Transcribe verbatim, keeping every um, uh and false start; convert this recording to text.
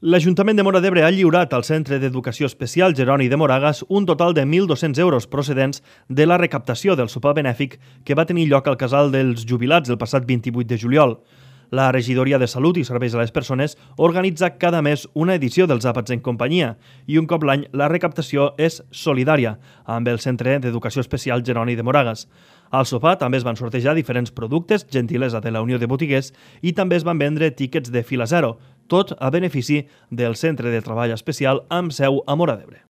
L'Ajuntament de Móra d'Ebre ha lliurat al Centre d'Educació Especial Jeroni de Moragas un total de mil dos-cents euros procedents de la recaptació del sopar benèfic que va tenir lloc al Casal dels Jubilats el passat vint-i-vuit de juliol. La Regidoria de Salut i Serveis a les Persones organitza cada mes una edició dels Àpats en Companyia i un cop l'any la recaptació és solidària amb el Centre d'Educació Especial Jeroni de Moragas. Al sopar també es van sortejar diferents productes, gentilesa de la Unió de Botiguers, i també es van vendre tíquets de fila zero, tot a benefici del Centre de Treball Especial amb seu a Móra d'Ebre.